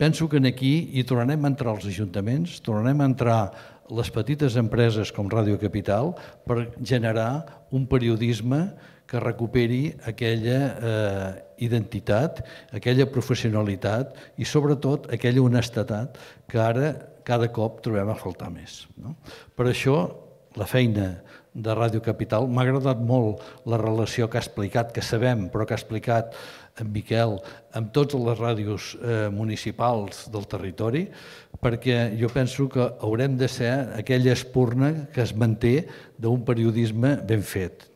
penso que aquí hi tornarem a entrar els ajuntaments, tornarem a entrar les petites empreses com Ràdio Capital per generar un periodisme que recuperi aquella identitat, aquella professionalitat i sobretot aquella honestedat que ara cada cop trobem a faltar més. Per això la feina de Ràdio Capital m'ha agradat molt la relació que ha explicat, que sabem, però que ha explicat en Miquel, amb totes les ràdios municipals del territori, perquè jo penso que haurem de ser aquella espurna que es manté d'un periodisme ben fet,